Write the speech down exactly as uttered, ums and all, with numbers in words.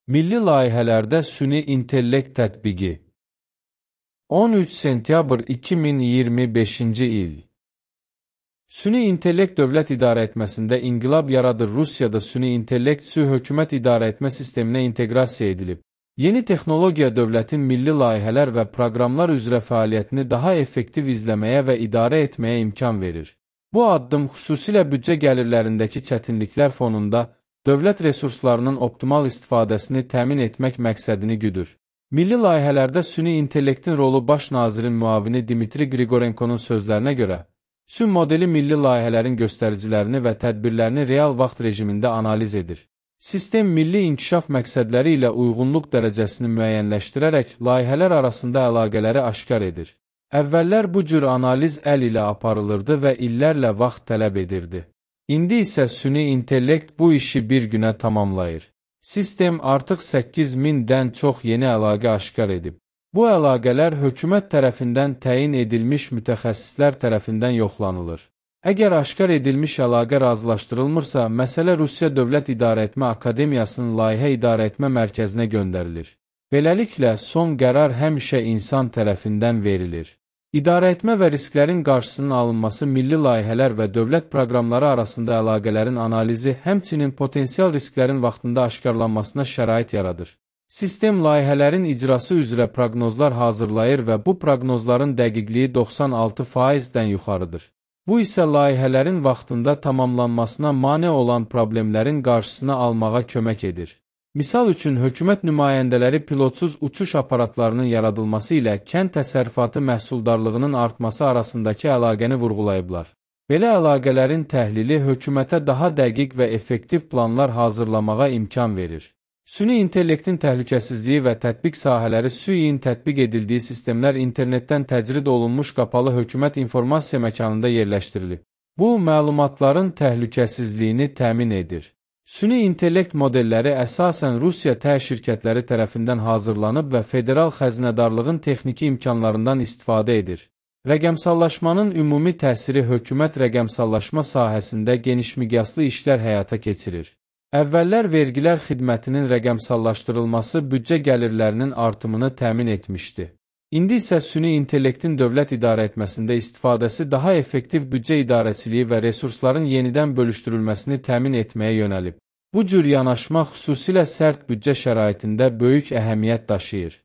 Milli layihələrdə süni intellekt tətbiqi. on üç sentyabr iki min iyirmi beşinci il. Süni intellekt dövlət idarəetməsində inqilab yaradır. Rusiyada süni intellekt sü hökumət idarəetmə sisteminə inteqrasiya edilib. Yeni texnologiya dövlətin milli layihələr və proqramlar üzrə fəaliyyətini daha effektiv izləməyə və idarə etməyə imkan verir. Bu addım xüsusilə büdcə gəlirlərindəki çətinliklər fonunda dövlət resurslarının optimal istifadəsini təmin etmək məqsədini güdür. Milli layihələrdə süni intellektin rolu baş nazirin müavini Dmitri Qrigorenkonun sözlərinə görə, sü modeli milli layihələrin göstəricilərini və tədbirlərini real vaxt rejimində analiz edir. Sistem milli inkişaf məqsədləri ilə uyğunluq dərəcəsini müəyyənləşdirərək layihələr arasında əlaqələri aşkar edir. Əvvəllər bu cür analiz əl ilə aparılırdı və illərlə vaxt tələb edirdi. İndi isə süni intellekt bu işi bir günə tamamlayır. Sistem artıq səkkiz mindən çox yeni əlaqə aşkar edib. Bu əlaqələr hökumət tərəfindən təyin edilmiş mütəxəssislər tərəfindən yoxlanılır. Əgər aşkar edilmiş əlaqə razılaşdırılmırsa, məsələ Rusiya Dövlət İdarəetmə Akademiyasının Layihə İdarəetmə Mərkəzinə göndərilir. Beləliklə, son qərar həmişə insan tərəfindən verilir. İdarəetmə və risklərin qarşısının alınması milli layihələr və dövlət proqramları arasında əlaqələrin analizi, həmçinin potensial risklərin vaxtında aşkarlanmasına şərait yaradır. Sistem layihələrin icrası üzrə proqnozlar hazırlayır və bu proqnozların dəqiqliyi doxsan altı faizdən yuxarıdır. Bu isə layihələrin vaxtında tamamlanmasına mane olan problemlərin qarşısını almağa kömək edir. Misal üçün, hökumət nümayəndələri pilotsuz uçuş aparatlarının yaradılması ilə kənd təsərrüfatı məhsuldarlığının artması arasındakı əlaqəni vurğulayıblar. Belə əlaqələrin təhlili hökumətə daha dəqiq və effektiv planlar hazırlamağa imkan verir. Süni intellektin təhlükəsizliyi və tətbiq sahələri süyin tətbiq edildiyi sistemlər internetdən təcrid olunmuş qapalı hökumət informasiya məkanında yerləşdirilib. Bu, məlumatların təhlükəsizliyini təmin edir. Süni intellekt modelləri əsasən Rusiya tə şirkətləri tərəfindən hazırlanıb və federal xəzinədarlığın texniki imkanlarından istifadə edir. Rəqəmsallaşmanın ümumi təsiri hökumət rəqəmsallaşma sahəsində genişmiqyaslı işlər həyata keçirir. Əvvəllər vergilər xidmətinin rəqəmsallaşdırılması büdcə gəlirlərinin artımını təmin etmişdi. İndi isə süni intellektin dövlət idarəetməsində istifadəsi daha effektiv büdcə idarəçiliyi və resursların yenidən bölüşdürülməsini təmin etməyə yönəlib. Bu cür yanaşma xüsusilə sərt büdcə şəraitində böyük əhəmiyyət daşıyır.